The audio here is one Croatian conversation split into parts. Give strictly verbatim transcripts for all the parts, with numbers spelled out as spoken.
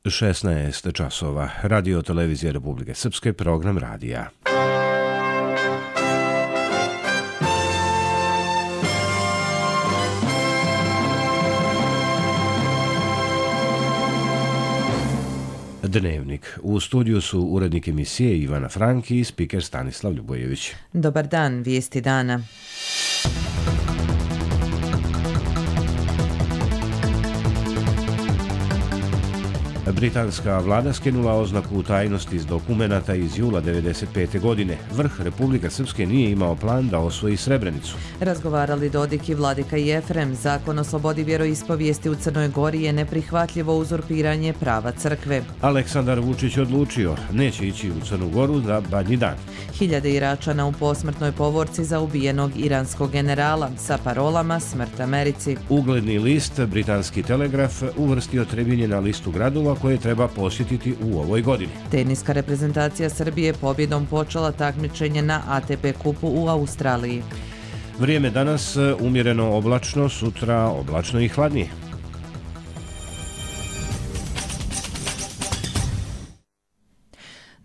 šesnaest časova. Radio televizije Republike Srpske, program radija. Dnevnik. U studiju su urednik emisije Ivana Franki i spiker Stanislav Ljubojević. Dobar dan, vijesti dana. Britanska vlada skinula oznaku tajnosti iz dokumenata iz jula devedeset pete. godine. Vrh Republike Srpske nije imao plan da osvoji Srebrenicu. Razgovarali Dodik i Vladika Jefrem. Zakon o slobodi vjeroispovijesti u Crnoj Gori je neprihvatljivo uzurpiranje prava crkve. Aleksandar Vučić odlučio, neće ići u Crnu Goru za Badnji dan. Hiljade Iračana u posmrtnoj povorci za ubijenog iranskog generala sa parolama Smrt Americi. Ugledni list, Britanski Telegraf, uvrstio Trebinje na listu gradova koje treba posjetiti u ovoj godini. Teniska reprezentacija Srbije pobjedom počela takmičenje na A T P kupu u Australiji. Vrijeme danas umjereno oblačno, sutra oblačno i hladnije.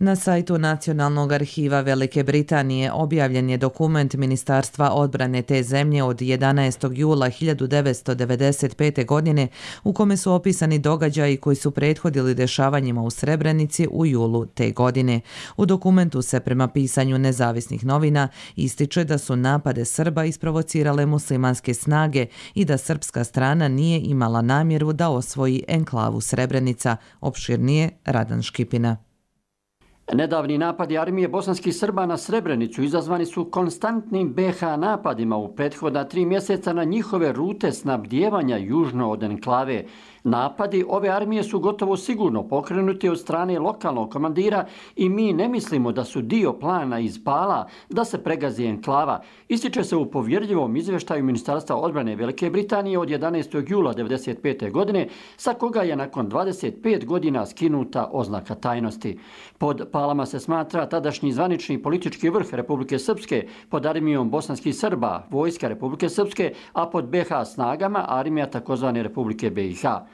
Na sajtu Nacionalnog arhiva Velike Britanije objavljen je dokument Ministarstva odbrane te zemlje od jedanaestog jula hiljadu devetsto devedeset pete. godine u kome su opisani događaji koji su prethodili dešavanjima u Srebrenici u julu te godine. U dokumentu se prema pisanju nezavisnih novina ističe da su napade Srba isprovocirale muslimanske snage i da srpska strana nije imala namjeru da osvoji enklavu Srebrenica. Opširnije Radan Škipina. Nedavni napadi armije bosanskih Srba na Srebrenicu izazvani su konstantnim B H napadima u prethodna tri mjeseca na njihove rute snabdijevanja južno od enklave. Napadi ove armije su gotovo sigurno pokrenuti od strane lokalnog komandira i mi ne mislimo da su dio plana iz Pala da se pregazi enklava. Ističe se u povjerljivom izvještaju Ministarstva odbrane Velike Britanije od jedanaestog jula devedeset pete. godine, sa koga je nakon dvadeset pet godina skinuta oznaka tajnosti. Pod Palama se smatra tadašnji zvanični politički vrh Republike Srpske pod armijom bosanskih Srba, vojska Republike Srpske, a pod B H snagama armija takozvane Republike B i H.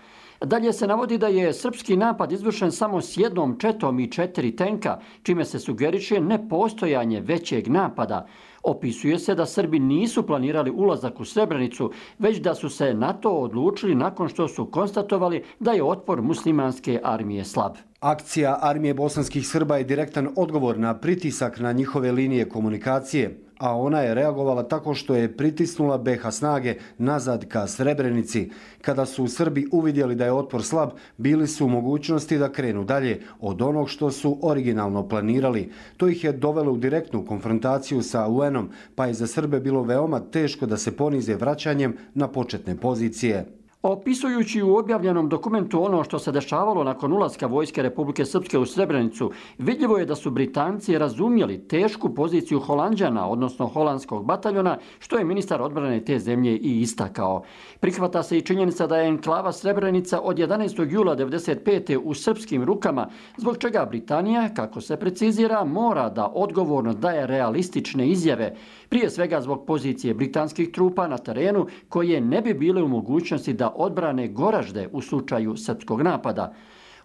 Dalje se navodi da je srpski napad izvršen samo s jednom četom i četiri tenka, čime se sugeriše nepostojanje većeg napada. Opisuje se da Srbi nisu planirali ulazak u Srebrenicu, već da su se na to odlučili nakon što su konstatovali da je otpor muslimanske armije slab. Akcija armije bosanskih Srba je direktan odgovor na pritisak na njihove linije komunikacije, a ona je reagovala tako što je pritisnula B H snage nazad ka Srebrenici. Kada su Srbi uvidjeli da je otpor slab, bili su u mogućnosti da krenu dalje od onog što su originalno planirali. To ih je dovelo u direktnu konfrontaciju sa U N-om, pa je za Srbe bilo veoma teško da se ponize vraćanjem na početne pozicije. Opisujući u objavljenom dokumentu ono što se dešavalo nakon ulaska vojske Republike Srpske u Srebrenicu, vidljivo je da su Britanci razumjeli tešku poziciju Holanđana, odnosno holandskog bataljona, što je ministar odbrane te zemlje i istakao. Prihvata se i činjenica da je enklava Srebrenica od jedanaestog jula devedeset pete. u srpskim rukama, zbog čega Britanija, kako se precizira, mora da odgovorno daje realistične izjave, prije svega zbog pozicije britanskih trupa na terenu koje ne bi bile u mogućnosti da odbrane Goražde u slučaju srpskog napada.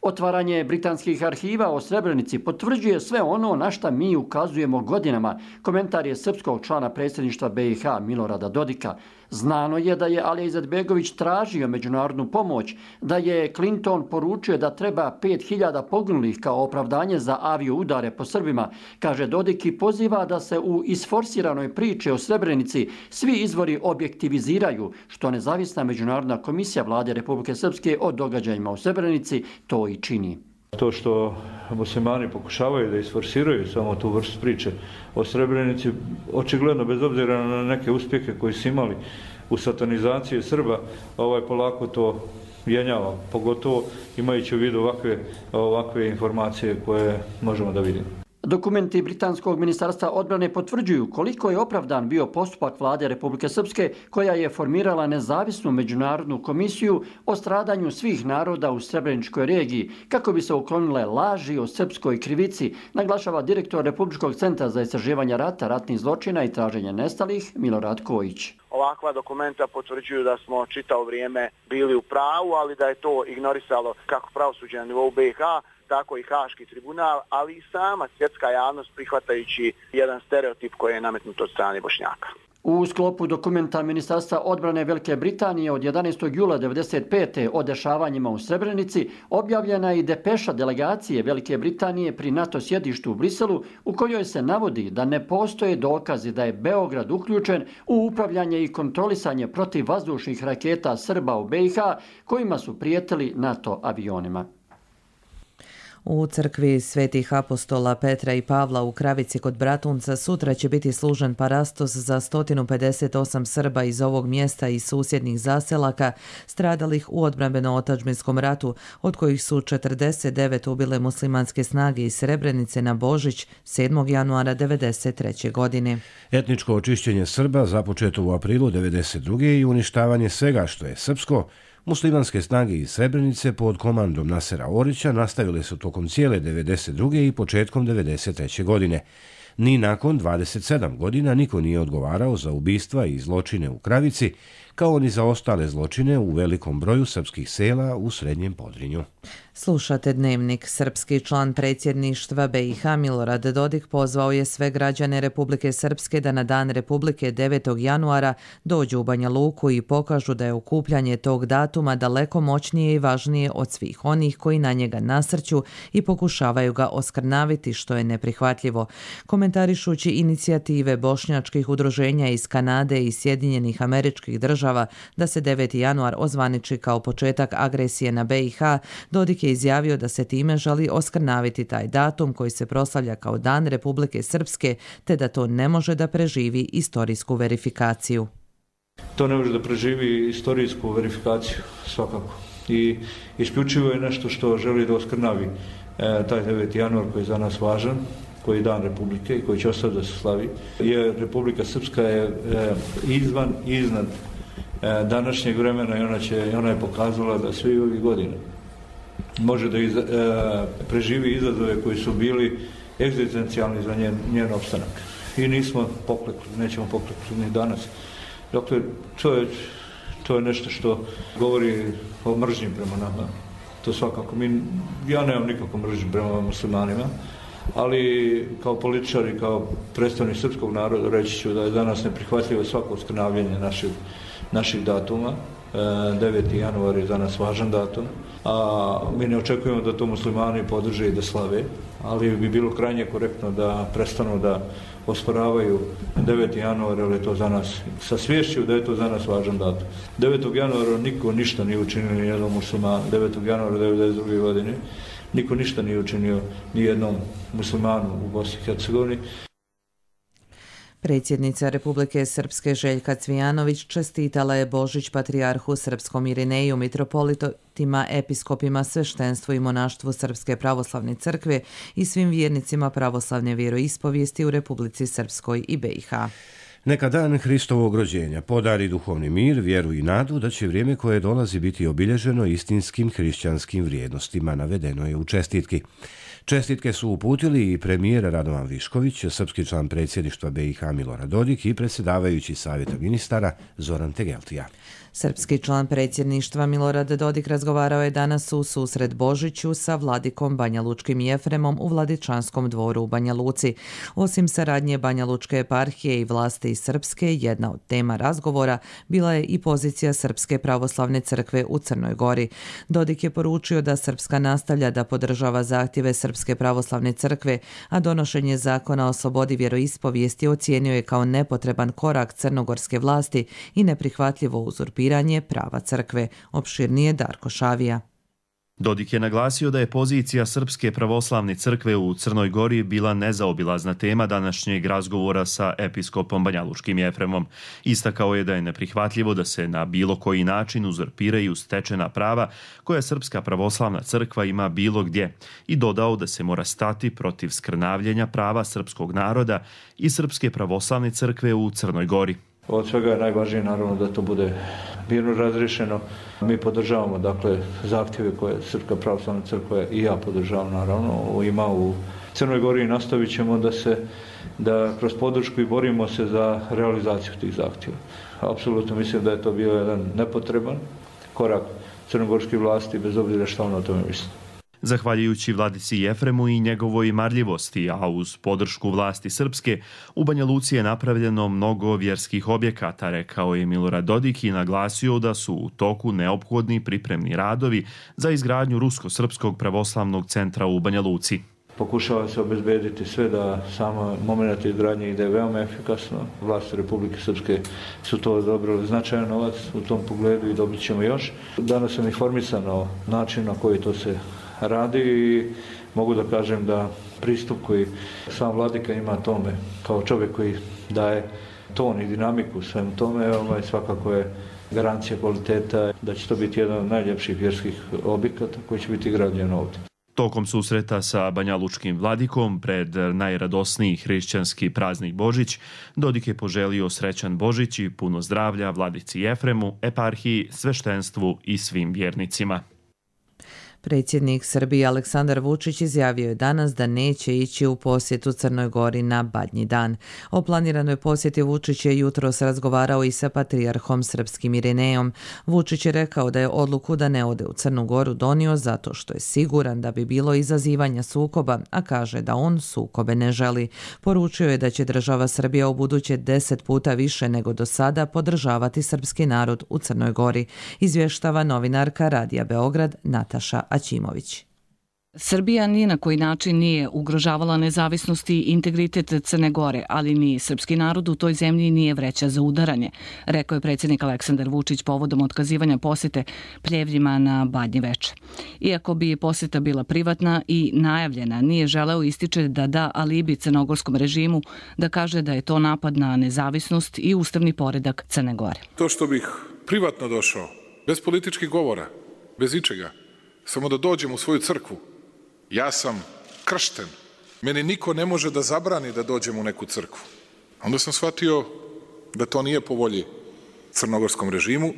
Otvaranje britanskih arhiva o Srebrenici potvrđuje sve ono na šta mi ukazujemo godinama. Komentar je srpskog člana predsjedništva B i H Milorada Dodika. Znano je da je Alija Izetbegović tražio međunarodnu pomoć, da je Clinton poručio da treba pet hiljada poginulih kao opravdanje za avio udare po Srbima, kaže Dodik i poziva da se u isforsiranoj priči o Srebrenici svi izvori objektiviziraju, što nezavisna međunarodna komisija vlade Republike Srpske o događajima u Srebrenici to i čini. To što muslimani pokušavaju da isforsiraju samo tu vrstu priče o Srebrenici, očigledno bez obzira na neke uspjehe koji su imali u satanizaciji Srba, ovaj polako to jenjava, pogotovo imajući u vidu ovakve, ovakve informacije koje možemo da vidimo. Dokumenti Britanskog ministarstva odbrane potvrđuju koliko je opravdan bio postupak vlade Republike Srpske koja je formirala nezavisnu međunarodnu komisiju o stradanju svih naroda u Srebreničkoj regiji kako bi se uklonile laži o srpskoj krivici, naglašava direktor Republičkog centra za istraživanje rata, ratnih zločina i traženja nestalih Milorad Kojić. ovakva dokumenta potvrđuju da smo čitavo vrijeme bili u pravu, ali da je to ignorisalo kako pravosuđe na nivou B i H, tako i Haški tribunal, ali i sama svjetska javnost prihvatajući jedan stereotip koji je nametnut od strane Bošnjaka. U sklopu dokumenta Ministarstva odbrane Velike Britanije od jedanaestog jula devedeset pete o dešavanjima u Srebrenici objavljena je i depeša delegacije Velike Britanije pri NATO sjedištu u Briselu u kojoj se navodi da ne postoje dokazi da je Beograd uključen u upravljanje i kontrolisanje protivvazdušnih raketa Srba u B i H kojima su prijetili NATO avionima. U crkvi Svetih apostola Petra i Pavla u Kravici kod Bratunca sutra će biti služen parastos za sto pedeset osam Srba iz ovog mjesta i susjednih zaselaka stradalih u odbrambeno-otadžbinskom ratu, od kojih su četrdeset devet ubile muslimanske snage iz Srebrenice na Božić sedmog januara devedeset treće. godine. Etničko očišćenje Srba započeto u aprilu devedeset druge i uništavanje svega što je srpsko, muslimanske snage iz Srebrenice pod komandom Nasera Orića nastavile su tokom cijele devedeset druge i početkom devedeset treće. godine. Ni nakon dvadeset sedam godina niko nije odgovarao za ubistva i zločine u Kravici, kao ni za ostale zločine u velikom broju srpskih sela u Srednjem Podrinju. Slušate Dnevnik. Srpski član predsjedništva B i H Milorad Dodik pozvao je sve građane Republike Srpske da na Dan Republike devetog januara dođu u Banja Luku i pokažu da je okupljanje tog datuma daleko moćnije i važnije od svih onih koji na njega nasrću i pokušavaju ga oskrnaviti, što je neprihvatljivo. Komentarišući inicijative bošnjačkih udruženja iz Kanade i Sjedinjenih Američkih Država da se deveti januar ozvaniči kao početak agresije na B i H, Dodik je izjavio da se time želi oskrnaviti taj datum koji se proslavlja kao Dan Republike Srpske, te da to ne može da preživi istorijsku verifikaciju. To ne može da preživi istorijsku verifikaciju, svakako. I isključivo je nešto što želi da oskrnavi e, taj deveti januar koji je za nas važan, koji je Dan Republike i koji će ostati da se slavi. Je Republika Srpska je e, izvan i iznad e, današnjeg vremena i ona, će, ona je pokazala da sve ovih godina može da iz, e, preživi izazove koji su bili egzistencijalni za njen, njen opstanak. I nismo poklekli, nećemo poklekli ni danas. Dakle, to je, to je nešto što govori o mržnji prema nama. To svakako. Mi, ja nemam nikako mržnju prema muslimanima, ali kao političar i kao predstavnik srpskog naroda reći ću da je danas neprihvatljivo svako oskrnavljanje naših, naših datuma. deveti januar je za nas važan datum, a mi ne očekujemo da to muslimani podrže i da slave, ali bi bilo krajnje korektno da prestanu da osporavaju deveti januar, jer je to za nas, sa sviješću da je to za nas važan datum. devetog januara niko ništa nije učinio ni jednom muslimanu, devetog januara devedeset druge. godine, niko ništa nije učinio ni jednom muslimanu u Bosni i Hercegovini. Predsjednica Republike Srpske Željka Cvijanović čestitala je Božić patrijarhu srpskom Irineju, mitropolitima, episkopima, sveštenstvu i monaštvu Srpske pravoslavne crkve i svim vjernicima pravoslavne vjeroispovijesti u Republici Srpskoj i B i H. Neka dan Hristovog rođenja podari duhovni mir, vjeru i nadu da će vrijeme koje dolazi biti obilježeno istinskim hrišćanskim vrijednostima, navedeno je u čestitki. Čestitke su uputili i premijer Radovan Višković, srpski član predsjedništva B i H Milorad Dodik i predsjedavajući savjeta ministara Zoran Tegeltija. Srpski član predsjedništva Milorad Dodik razgovarao je danas u susret Božiću sa vladikom Banjalučkim Jefremom u Vladičanskom dvoru u Banja Luci. Osim saradnje Banjalučke eparhije i vlasti Srpske, jedna od tema razgovora bila je i pozicija Srpske pravoslavne crkve u Crnoj Gori. Dodik je poručio da Srpska nastavlja da podržava zahtjeve Srpske pravoslavne crkve, a donošenje zakona o slobodi vjeroispovijesti ocijenio je kao nepotreban korak crnogorske vlasti i neprihvatljivo uzurpiranje prava crkve. Opširnije Darko Šavija. Dodik je naglasio da je pozicija Srpske pravoslavne crkve u Crnoj Gori bila nezaobilazna tema današnjeg razgovora sa episkopom Banjalučkim Jefremom. Istakao je da je neprihvatljivo da se na bilo koji način uzurpiraju stečena prava koja Srpska pravoslavna crkva ima bilo gdje i dodao da se mora stati protiv skrnavljenja prava srpskog naroda i Srpske pravoslavne crkve u Crnoj Gori. Od svega je najvažnije naravno da to bude mirno razriješeno. Mi podržavamo dakle zahtjeve koje Srpska pravoslavna crkva i ja podržavam naravno ima u Crnoj Gori i nastavit ćemo da se da kroz podršku i borimo se za realizaciju tih zahtjeva. Apsolutno mislim da je to bio jedan nepotreban korak crnogorske vlasti bez obzira što on o tome misli. Zahvaljujući Vladici Jefremu i njegovoj marljivosti, a uz podršku vlasti srpske, u Banja Luci je napravljeno mnogo vjerskih objekata, rekao je Milorad Dodik i naglasio da su u toku neophodni pripremni radovi za izgradnju Rusko-srpskog pravoslavnog centra u Banja Luci. Pokušava se obezbediti sve da samo moment izgradnje ide veoma efikasno. Vlasti Republike Srpske su to odobrili značajan novac u tom pogledu i dobit ćemo još. Danas sam informisan o načinu na koji to se radi i mogu da kažem da pristup koji sam vladika ima tome kao čovjek koji daje ton i dinamiku svem tome, ovaj, svakako je garancija kvaliteta da će to biti jedan od najljepših vjerskih objekata koji će biti građen ovdje. Tokom susreta sa banjalučkim vladikom pred najradosniji hrišćanski praznik Božić, Dodik je poželio srećan Božić i puno zdravlja vladici Jefremu, eparhiji, sveštenstvu i svim vjernicima. Predsjednik Srbije Aleksandar Vučić izjavio je danas da neće ići u posjetu Crnoj Gori na Badnji dan. O planiranoj posjeti Vučić je jutros razgovarao i sa patrijarhom srpskim Irinejom. Vučić je rekao da je odluku da ne ode u Crnu Goru donio zato što je siguran da bi bilo izazivanja sukoba, a kaže da on sukobe ne želi. Poručio je da će država Srbija u buduće deset puta više nego do sada podržavati srpski narod u Crnoj Gori, izvještava novinarka Radija Beograd Nataša Aćimović. Srbija ni na koji način nije ugrožavala nezavisnost i integritet Crne Gore, ali ni srpski narod u toj zemlji nije vreća za udaranje, rekao je predsjednik Aleksandar Vučić povodom otkazivanja posjete Pljevljima na Badnje veče. Iako bi posjeta bila privatna i najavljena, nije želeo ističe da da alibi crnogorskom režimu, da kaže da je to napad na nezavisnost i ustavni poredak Crne Gore. To što bih privatno došao, bez političkih govora, bez ičega, samo da dođem u svoju crkvu. Ja sam kršten. Meni niko ne može da zabrani da dođem u neku crkvu. Onda sam shvatio da to nije po volji crnogorskom režimu,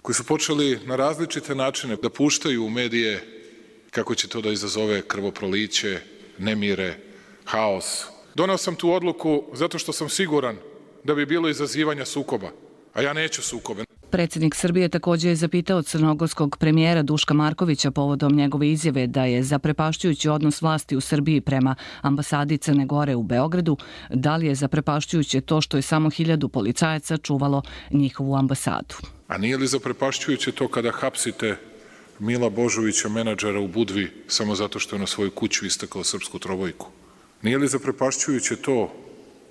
koji su počeli na različite načine da puštaju u medije kako će to da izazove krvoproliće, nemire, haos. Doneo sam tu odluku zato što sam siguran da bi bilo izazivanja sukoba, a ja neću sukobe. Predsjednik Srbije također je zapitao crnogorskog premijera Duška Markovića povodom njegove izjave da je zaprepašćujući odnos vlasti u Srbiji prema ambasadi Crne Gore u Beogradu, da li je zaprepašćujuće to što je samo hiljadu policajaca čuvalo njihovu ambasadu. A nije li zaprepašćujuće to kada hapsite Mila Božovića, menadžera u Budvi, samo zato što je na svoju kuću istakao srpsku trobojku? Nije li zaprepašćujuće to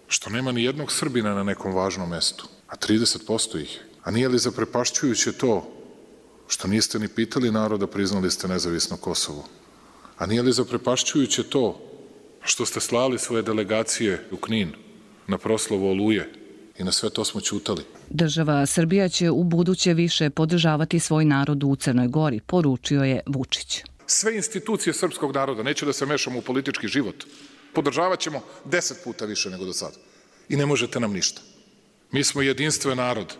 što nema ni jednog Srbina na nekom važnom mestu, a trideset posto ih je? A nije li zaprepašćujuće to što niste ni pitali naroda, priznali ste nezavisno Kosovo? A nije li zaprepašćujuće to što ste slali svoje delegacije u Knin na proslavu Oluje i na sve to smo ćutali? Država Srbija će u buduće više podržavati svoj narod u Crnoj Gori, poručio je Vučić. Sve institucije srpskog naroda, neću da se mešamo u politički život, podržavat ćemo deset puta više nego do sada. I ne možete nam ništa. Mi smo jedinstven narod.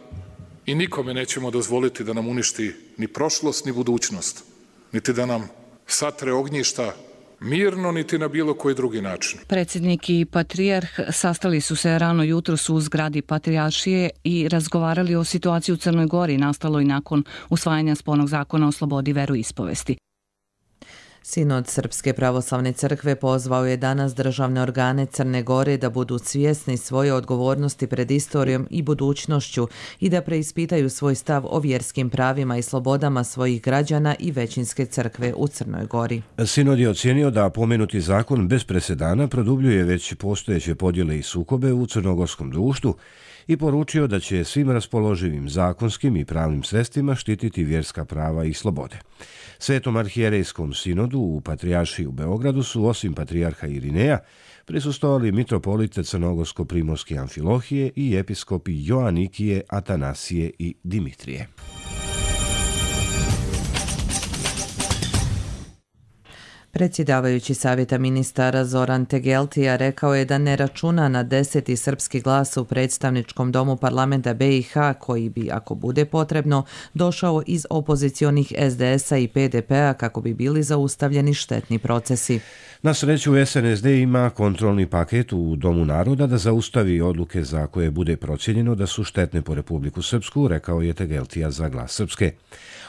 I nikome nećemo dozvoliti da nam uništi ni prošlost, ni budućnost, niti da nam satre ognjišta mirno, niti na bilo koji drugi način. Predsjednik i patrijarh sastali su se rano jutros u zgradi Patrijaršije i razgovarali o situaciji u Crnoj Gori nastaloj nakon usvajanja spolnog zakona o slobodi veroispovesti. Sinod Srpske pravoslavne crkve pozvao je danas državne organe Crne Gore da budu svjesni svoje odgovornosti pred istorijom i budućnošću i da preispitaju svoj stav o vjerskim pravima i slobodama svojih građana i većinske crkve u Crnoj Gori. Sinod je ocijenio da pomenuti zakon bez presedana produbljuje već postojeće podjele i sukobe u crnogorskom društvu i poručio da će svim raspoloživim zakonskim i pravnim sredstvima štititi vjerska prava i slobode. Svetom arhijerejskom sinodu u Patrijaršiji u Beogradu su osim patrijarha Irineja prisustvovali mitropolite Crnogorsko-primorske Amfilohije i episkopi Joanikije, Atanasije i Dimitrije. Predsjedavajući savjeta ministara Zoran Tegeltija rekao je da ne računa na deseti srpski glas u predstavničkom domu parlamenta B i H koji bi, ako bude potrebno, došao iz opozicionih S D S-a i P D P-a kako bi bili zaustavljeni štetni procesi. Na sreću S N S D ima kontrolni paket u Domu naroda da zaustavi odluke za koje bude procijenjeno da su štetne po Republiku Srpsku, rekao je Tegeltija za Glas Srpske.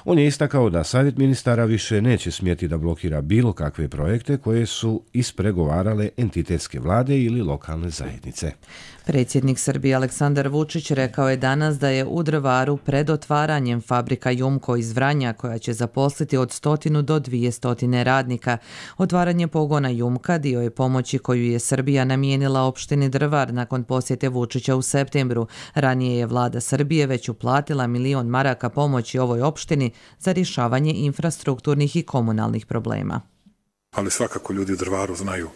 On je istakao da savjet ministara više neće smjeti da blokira bilo kakve projekte koje su ispregovarale entitetske vlade ili lokalne zajednice. Predsjednik Srbije Aleksandar Vučić rekao je danas da je u Drvaru pred otvaranjem fabrika Jumko iz Vranja koja će zaposliti od stotinu do dvije stotine radnika. Otvaranje pogona Jumka dio je pomoći koju je Srbija namijenila opštini Drvar nakon posjete Vučića u septembru. Ranije je vlada Srbije već uplatila milion maraka pomoći ovoj opštini za rješavanje infrastrukturnih i komunalnih problema. Ali svakako ljudi u Drvaru znaju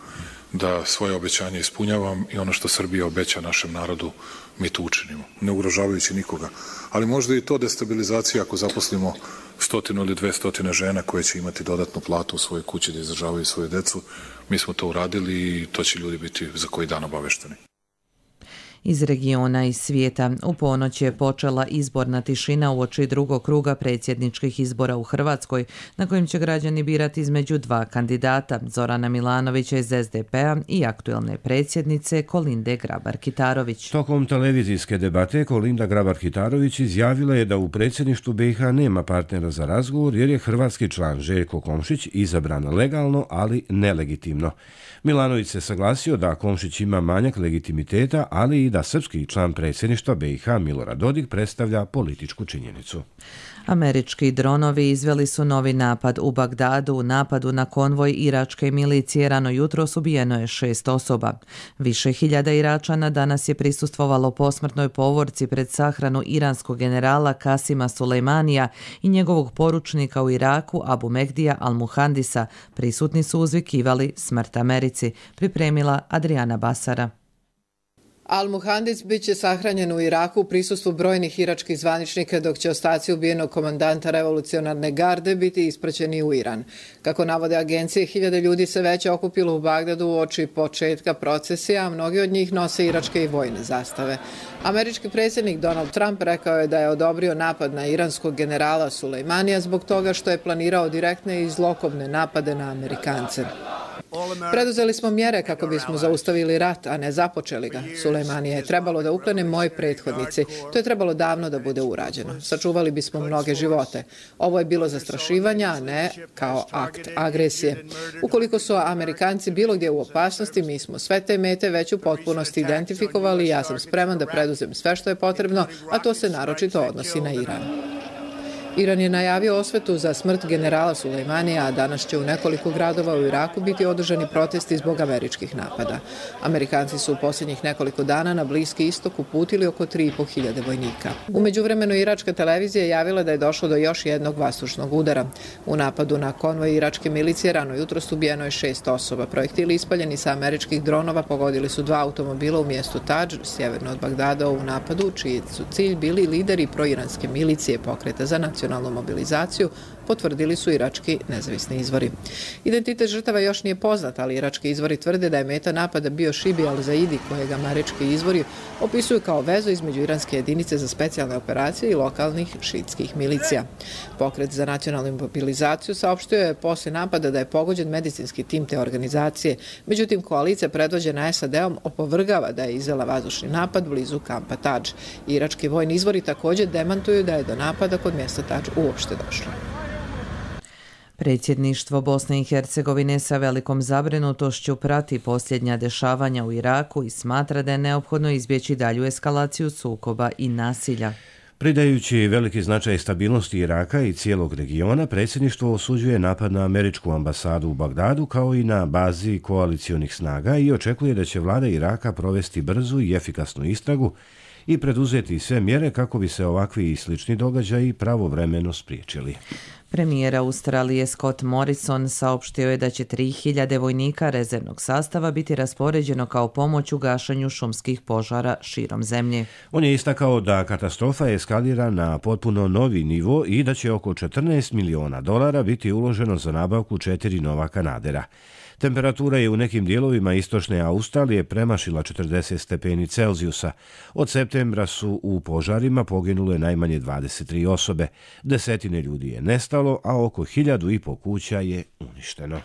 da svoje obećanje ispunjavam i ono što Srbija obeća našem narodu mi to učinimo, ne ugrožavajući nikoga. Ali možda i to destabilizacija ako zaposlimo stotinu ili dve stotine žena koje će imati dodatnu platu u svojoj kući da izdržavaju svoju decu. Mi smo to uradili i to će ljudi biti za koji dan obavešteni. Iz regiona i svijeta. U ponoć je počela izborna tišina uoči drugog kruga predsjedničkih izbora u Hrvatskoj, na kojim će građani birati između dva kandidata, Zorana Milanovića iz S D P-a i aktuelne predsjednice Kolinde Grabar-Kitarović. Tokom televizijske debate Kolinda Grabar-Kitarović izjavila je da u predsjedništvu B i H nema partnera za razgovor jer je hrvatski član Željko Komšić izabran legalno, ali nelegitimno. Milanović se saglasio da Komšić ima manjak legitimiteta, ali i da srpski član predsjedništva B i H Milorad Dodik predstavlja političku činjenicu. Američki dronovi izveli su novi napad u Bagdadu. U napadu na konvoj iračke milicije rano jutros ubijeno je šest osoba. Više hiljada Iračana danas je prisustvovalo posmrtnoj povorci pred sahranu iranskog generala Kasima Sulejmanija i njegovog poručnika u Iraku Abu Mehdija al-Muhandisa. Prisutni su uzvikivali smrt Americi, pripremila Adriana Basara. Al-Muhandis bit će sahranjen u Iraku u prisustvu brojnih iračkih zvaničnika, dok će ostaci ubijenog komandanta revolucionarne garde biti ispraćeni u Iran. Kako navode agencije, hiljade ljudi se već okupilo u Bagdadu uoči početka procesija, a mnogi od njih nose iračke i vojne zastave. Američki predsjednik Donald Trump rekao je da je odobrio napad na iranskog generala Sulejmanija zbog toga što je planirao direktne i zlokobne napade na Amerikance. Preduzeli smo mjere kako bismo zaustavili rat, a ne započeli ga. Sulejmanija je trebalo da uklone moji prethodnici. To je trebalo davno da bude urađeno. Sačuvali bismo mnoge živote. Ovo je bilo zastrašivanje, a ne kao akt agresije. Ukoliko su Amerikanci bilo gdje u opasnosti, mi smo sve te mete već u potpunosti identifikovali i ja sam spreman da preduzem sve što je potrebno, a to se naročito odnosi na Iran. Iran je najavio osvetu za smrt generala Sulejmanija, a danas će u nekoliko gradova u Iraku biti održani protesti zbog američkih napada. Amerikanci su u posljednjih nekoliko dana na Bliski istok uputili oko tri i po hiljade vojnika. U međuvremenu iračka televizija javila da je došlo do još jednog vazdušnog udara. U napadu na konvoj iračke milicije rano jutros ubijeno je šest osoba. Projektili ispaljeni sa američkih dronova pogodili su dva automobila u mjestu Tadž, sjeverno od Bagdada, u napadu, čiji su cilj bili lideri proiranske milicije Pokreta za nacionalnu mobilizaciju, potvrdili su irački nezavisni izvori. Identitet žrtava još nije poznat, ali irački izvori tvrde da je meta napada bio Šibi al-Zaidi, kojeg američki izvori opisuju kao vezu između iranske jedinice za specijalne operacije i lokalnih šiitskih milicija. Pokret za nacionalnu mobilizaciju saopštio je poslije napada da je pogođen medicinski tim te organizacije. Međutim, koalicija predvođena S A D-om opovrgava da je izvela vazdušni napad blizu kampa Tadž. Irački vojni izvori također demantuju da je do napada kod mjesta Tadž uopšte došlo. Predsjedništvo Bosne i Hercegovine sa velikom zabrinutošću prati posljednja dešavanja u Iraku i smatra da je neophodno izbjeći dalju eskalaciju sukoba i nasilja. Pridajući veliki značaj stabilnosti Iraka i cijelog regiona, predsjedništvo osuđuje napad na američku ambasadu u Bagdadu kao i na bazi koalicionih snaga i očekuje da će vlada Iraka provesti brzu i efikasnu istragu i preduzeti sve mjere kako bi se ovakvi i slični događaji pravovremeno spriječili. Premijer Australije Scott Morrison saopštio je da će tri hiljade vojnika rezervnog sastava biti raspoređeno kao pomoć u gašenju šumskih požara širom zemlje. On je istakao da katastrofa eskalira na potpuno novi nivo i da će oko četrnaest miliona dolara biti uloženo za nabavku četiri nova kanadera. Temperatura je u nekim dijelovima istočne Australije premašila četrdeset stepeni Celzijusa. Od septembra su u požarima poginule najmanje dvadeset tri osobe. Desetine ljudi je nestalo, a oko hiljadu i po kuća je uništeno.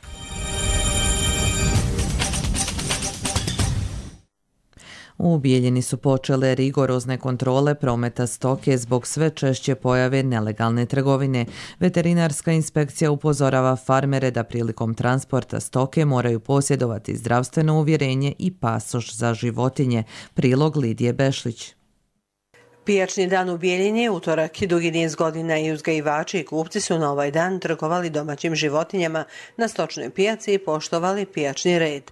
U Bijeljini su počele rigorozne kontrole prometa stoke zbog sve češće pojave nelegalne trgovine. Veterinarska inspekcija upozorava farmere da prilikom transporta stoke moraju posjedovati zdravstveno uvjerenje i pasoš za životinje. Prilog Lidije Bešlić. Pijačni dan u Bijeljini, utorak i dugi niz godina i uzgajivači i kupci su na ovaj dan trgovali domaćim životinjama na stočnoj pijaci i poštovali pijačni red.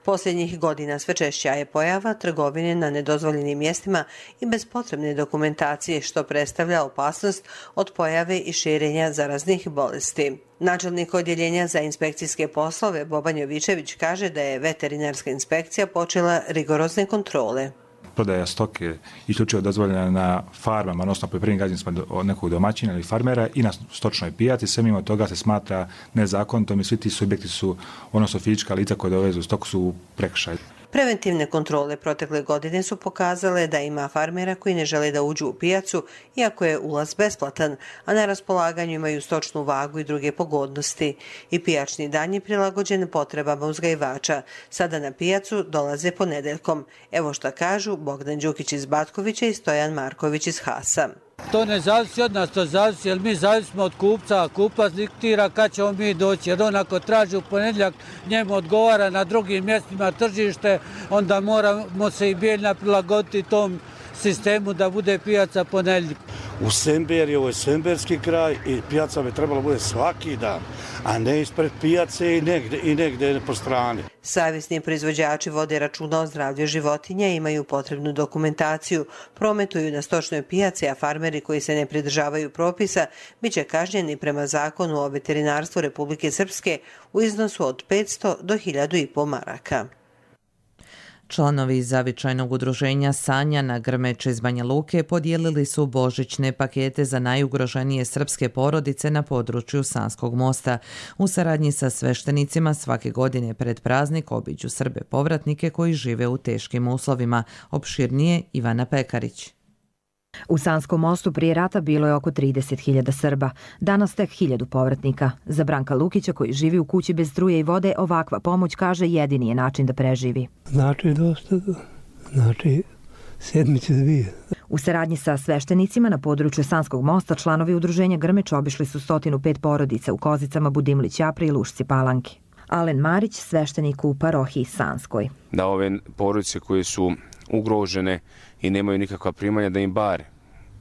Posljednjih godina sve češća je pojava trgovine na nedozvoljenim mjestima i bez potrebne dokumentacije, što predstavlja opasnost od pojave i širenja zaraznih bolesti. Načelnik odjeljenja za inspekcijske poslove Boban Jovičević kaže da je veterinarska inspekcija počela rigorozne kontrole. Prodaja stoke isključivo dozvoljena na farmama, odnosno poljoprivrednim gazdinstvima od nekog domaćina ili farmera i na stočnoj pijaci. Sve mimo toga se smatra nezakonitom i svi ti subjekti su, odnosno fizička lica koje dovezu stoku, su u prekršaju. Preventivne kontrole protekle godine su pokazale da ima farmera koji ne žele da uđu u pijacu, iako je ulaz besplatan, a na raspolaganju imaju stočnu vagu i druge pogodnosti. I pijačni dan je prilagođen potrebama uzgajivača. Sada na pijacu dolaze ponedeljkom. Evo šta kažu Bogdan Đukić iz Batkovića i Stojan Marković iz Hasa. To ne zavisi od nas, to zavisi, jer mi zavisimo od kupca, a kupac diktira kad ćemo mi doći, jer on ako traži u ponedjeljak, njemu odgovara na drugim mjestima tržište, onda moramo se i Bijeljina prilagoditi tom sistemu da bude pijaca ponedjeljak. U Semberi, ovo je semberski kraj i pijaca bi trebalo bude svaki dan, a ne ispred pijace i negde, i negde po strani. Savjesni proizvođači vode računa o zdravlju životinja, imaju potrebnu dokumentaciju, prometuju na stočnoj pijaci, a farmeri koji se ne pridržavaju propisa bit će kažnjeni prema zakonu o veterinarstvu Republike Srpske u iznosu od petsto do hiljadu i po maraka. Članovi zavičajnog udruženja Sanjana Grmeč iz Banja Luke podijelili su božićne pakete za najugroženije srpske porodice na području Sanskog mosta. U saradnji sa sveštenicima svake godine pred praznik obiđu Srbe povratnike koji žive u teškim uslovima. Opširnije Ivana Pekarić. U Sanskom mostu prije rata bilo je oko trideset hiljada Srba, danas tek hiljadu povratnika. Za Branka Lukića, koji živi u kući bez struje i vode, ovakva pomoć, kaže, jedini je način da preživi. Znači dosta, znači sedmice dvije. U saradnji sa sveštenicima na području Sanskog mosta članovi udruženja Grmeč obišli su sto pet porodica u Kozicama, Budimlić, Japri i Lušci Palanki. Alen Marić, sveštenik u parohiji Sanskoj. Da ove porodice koje su ugrožene i nemaju nikakva primanja, da im bar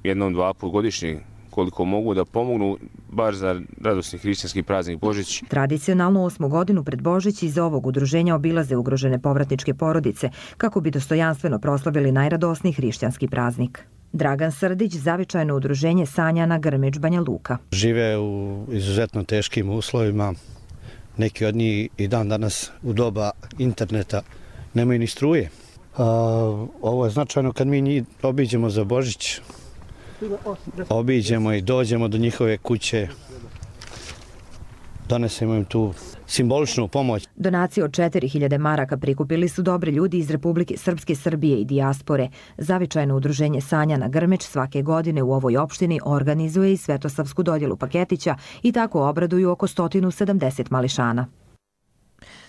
jednom, dva put godišnje, koliko mogu, da pomognu bar za radosni hrišćanski praznik Božić. Tradicionalno osmu godinu pred Božić iz ovog udruženja obilaze ugrožene povratničke porodice kako bi dostojanstveno proslavili najradosniji hrišćanski praznik. Dragan Srdić, zavičajno udruženje Sanjana Grmeč Banja Luka. Žive u izuzetno teškim uslovima. Neki od njih i dan danas u doba interneta nemaju ni struje. A, ovo je značajno kad mi njih obiđemo za Božić. Obiđemo i dođemo do njihove kuće. Donesemo im tu simboličnu pomoć. Donacije od četiri hiljade maraka prikupili su dobri ljudi iz Republike Srpske, Srbije i dijaspore. Zavičajno udruženje Sanjana Grmeč svake godine u ovoj opštini organizuje i svetosavsku dodjelu paketića i tako obraduju oko sto sedamdeset mališana.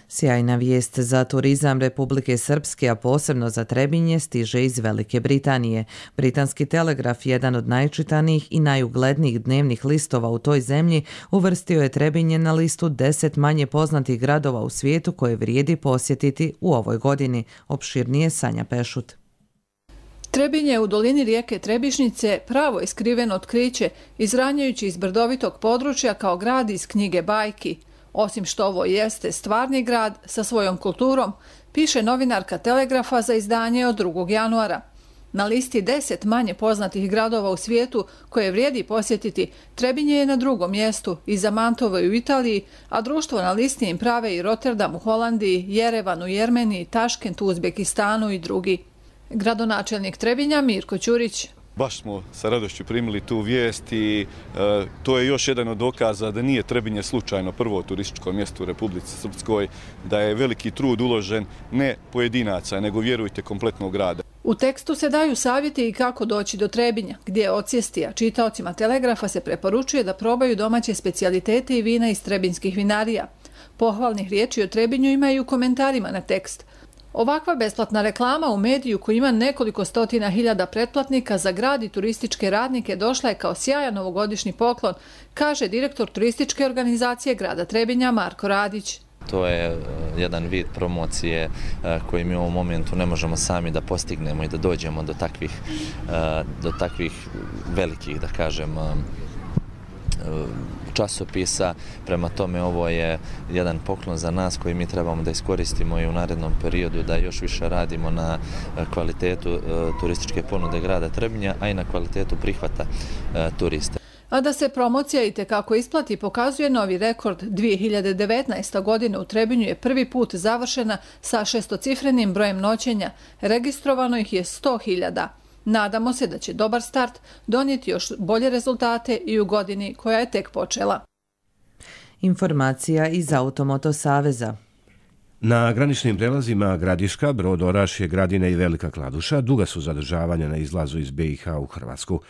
Sjajna vijest za turizam Republike Srpske, a posebno za Trebinje, stiže iz Velike Britanije. Britanski Telegraf, jedan od najčitanijih i najuglednijih dnevnih listova u toj zemlji, uvrstio je Trebinje na listu deset manje poznatih gradova u svijetu koje vrijedi posjetiti u ovoj godini. Opširnije Sanja Pešut. Trebinje u dolini rijeke Trebišnice pravo je skriveno otkriće, izranjajući iz brdovitog područja kao grad iz knjige bajki. Osim što ovo jeste stvarni grad sa svojom kulturom, piše novinarka Telegrafa za izdanje od drugog januara. Na listi deset manje poznatih gradova u svijetu koje vrijedi posjetiti, Trebinje je na drugom mjestu, iza Mantova u Italiji, a društvo na listi im prave i Rotterdam u Holandiji, Jerevan u Jermeniji, Taškent u Uzbekistanu i drugi. Gradonačelnik Trebinja Mirko Ćurić. Baš smo sa radošću primili tu vijest i e, to je još jedan od dokaza da nije Trebinje slučajno prvo turističko mjesto u Republici Srpskoj, da je veliki trud uložen ne pojedinaca, nego vjerujte kompletnog grada. U tekstu se daju savjeti i kako doći do Trebinja, gdje je odsjesti, a čitaocima Telegrafa se preporučuje da probaju domaće specijalitete i vina iz trebinskih vinarija. Pohvalnih riječi o Trebinju imaju u komentarima na tekst. Ovakva besplatna reklama u mediju koji ima nekoliko stotina hiljada pretplatnika za grad i turističke radnike došla je kao sjajan novogodišnji poklon, kaže direktor turističke organizacije grada Trebinja Marko Radić. To je jedan vid promocije koji mi u ovom momentu ne možemo sami da postignemo i da dođemo do takvih, do takvih velikih, da kažem, časopisa. Prema tome ovo je jedan poklon za nas koji mi trebamo da iskoristimo i u narednom periodu, da još više radimo na kvalitetu turističke ponude grada Trebinja, a i na kvalitetu prihvata turista. A da se promocija i tekako isplati pokazuje novi rekord. dvije hiljade devetnaesta. godine u Trebinju je prvi put završena sa šestocifrenim brojem noćenja. Registrovano ih je sto hiljada. Nadamo se da će dobar start donijeti još bolje rezultate i u godini koja je tek počela. Informacija iz Automoto Saveza. Na graničnim prelazima Gradiška, Brod, Orašje, Gradine i Velika Kladuša duga su zadržavanja na izlazu iz be i ha u Hrvatsku.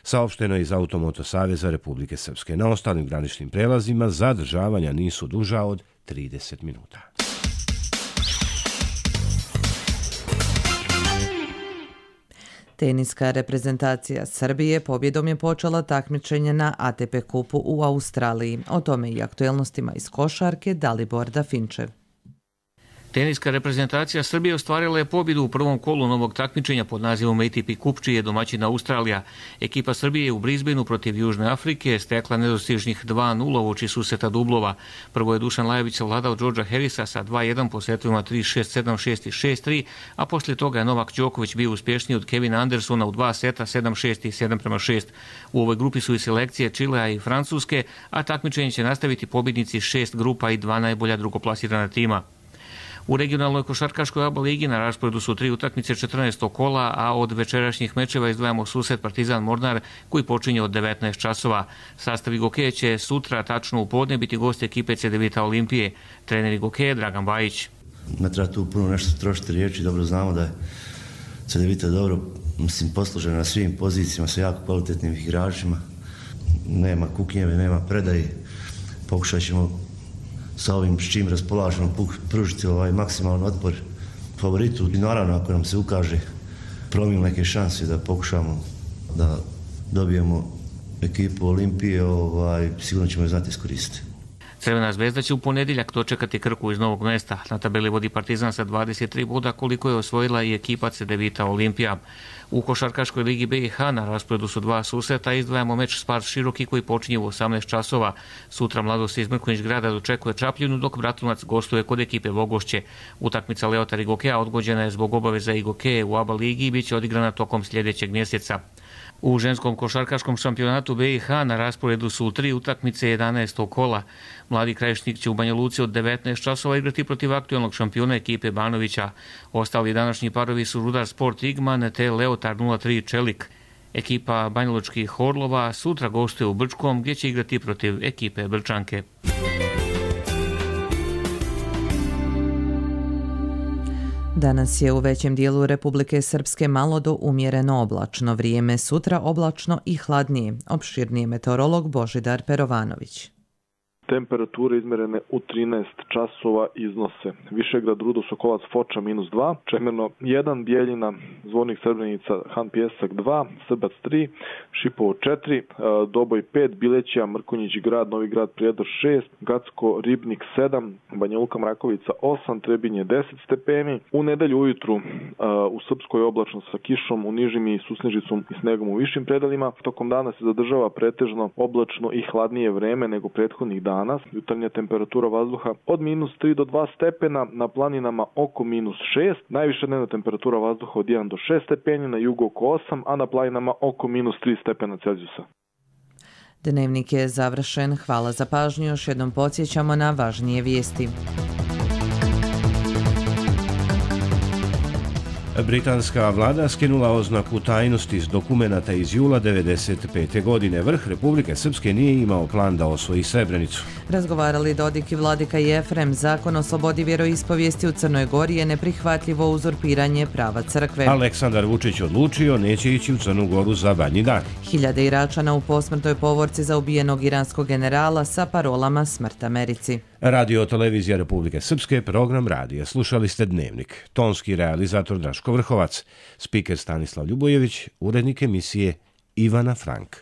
Saopšteno je iz Automoto Saveza Republike Srpske. Na ostalim graničnim prelazima zadržavanja nisu duža od trideset minuta. Teniska reprezentacija Srbije pobjedom je počela takmičenje na A T P kupu u Australiji. O tome i aktuelnostima iz košarke Dalibor Dafinčev. Teniska reprezentacija Srbije ostvarila je pobjedu u prvom kolu novog takmičenja pod nazivom A T P Kup, čiji je domaćin Australija. Ekipa Srbije je u Brisbaneu protiv Južne Afrike stekla nedostižnih dva nula uoči suseta dublova. Prvo je Dušan Lajović savladao Đorđa Harrisa sa dva jedan po setovima tri šest, sedam šest i šest tri, a poslije toga je Novak Đoković bio uspješniji od Kevina Andersona u dva seta sedam šest i sedam prema šest. U ovoj grupi su i selekcije Čilea i Francuske, a takmičenje će nastaviti pobjednici šest grupa i dva najbolja drugoplasirana tima. U regionalnoj košarkaškoj A B A ligi na rasporedu su tri utakmice četrnaestog kola, a od večerašnjih mečeva izdvajamo susret Partizan Mornar koji počinje od devetnaest časova. Sastav Igokeja će sutra tačno u podne biti gost ekipe Cedevita Olimpije. Trener Igokeja Dragan Bajić. Ne treba tu puno nešto trošiti riječi, dobro znamo da je Cedevita dobro, mislim, poslužena na svim pozicijama sa jako kvalitetnim igračima. Nema kuknjeve, nema predaje. Pokušat ćemo sa ovim s čim raspolažemo pružiti ovaj maksimalan otpor favoritu. I naravno, ako nam se ukaže promil neke šanse da pokušamo da dobijemo ekipu Olimpije, ovaj, sigurno ćemo je znati iskoristiti. Crvena zvezda će u ponedjeljak dočekati Krku iz Novog Mesta. Na tabeli vodi Partizan sa dvadeset tri boda, koliko je osvojila i ekipa Cedevita Olimpija. U košarkaškoj ligi be i ha na rasporedu su dva susreta, izdvajamo meč Spars Široki koji počinje u osamnaest časova. Sutra Mladost iz Mrkonjić grada dočekuje Čapljinu, dok Bratunac gostuje kod ekipe Vogošće. Utakmica Leotar Igokeja odgođena je zbog obaveza Igokeje u A B A ligi i bit će odigrana tokom sljedećeg mjeseca. U ženskom košarkaškom šampionatu be i ha na rasporedu su tri utakmice jedanaestog kola. Mladi Krajišnik će u Banja Luci od devetnaest časova igrati protiv aktualnog šampiona ekipe Banovića. Ostali današnji parovi su Rudar Sport Igman te Leotar nula tri Čelik. Ekipa banjalučkih Orlova sutra gostuje u Brčkom gdje će igrati protiv ekipe Brčanke. Danas je u većem dijelu Republike Srpske malo do umjereno oblačno vrijeme, sutra oblačno i hladnije. Opširnije meteorolog Božidar Perovanović. Temperature izmerene u trinaest časova iznose Višegrad, Rudo, Sokolac, Foča minus dva, Čemerno jedan, Bijeljina, Zvornik, Srebrenica, Han Pjesak dva, Srbac tri, Šipovo četiri, Doboj pet, Bilećija, Mrkonjić grad, Novi grad, Prijedor šest, Gacko, Ribnik sedam, Banja Luka, Mrakovica osam, Trebinje deset stepeni. U nedelju ujutru u Srpskoj oblačno sa kišom, u nižim i susnežicom i snegom u višim predelima. Tokom dana se zadržava pretežno oblačno i hladnije vreme nego prethodnih dana. danas. Jutarnja temperatura vazduha od minus tri do dva stepena, na planinama oko minus šest. Najviša dnevna temperatura vazduha od jedan do šest stepeni, na jugu oko osam, a na planinama oko minus tri stepena Celzijusa. Dnevnik je završen. Hvala za pažnju. Još jednom podsjećamo na važnije vijesti. Britanska vlada skinula oznaku tajnosti s dokumenata iz jula devedeset pete. godine. Vrh Republike Srpske nije imao plan da osvoji Srebrenicu. Razgovarali Dodik i Vladika Jefrem. Zakon o slobodi vjeroispovijesti u Crnoj Gori je neprihvatljivo uzurpiranje prava crkve. Aleksandar Vučić odlučio neće ići u Crnu Goru za Badnji dan. Hiljade Iračana u posmrtnoj povorci za ubijenog iranskog generala sa parolama Smrt Americi. Radio televizija Republike Srpske, program radija. Slušali ste Dnevnik. Tonski realizator Draško Vrhovac, spiker Stanislav Ljubojević, urednik emisije Ivana Frank.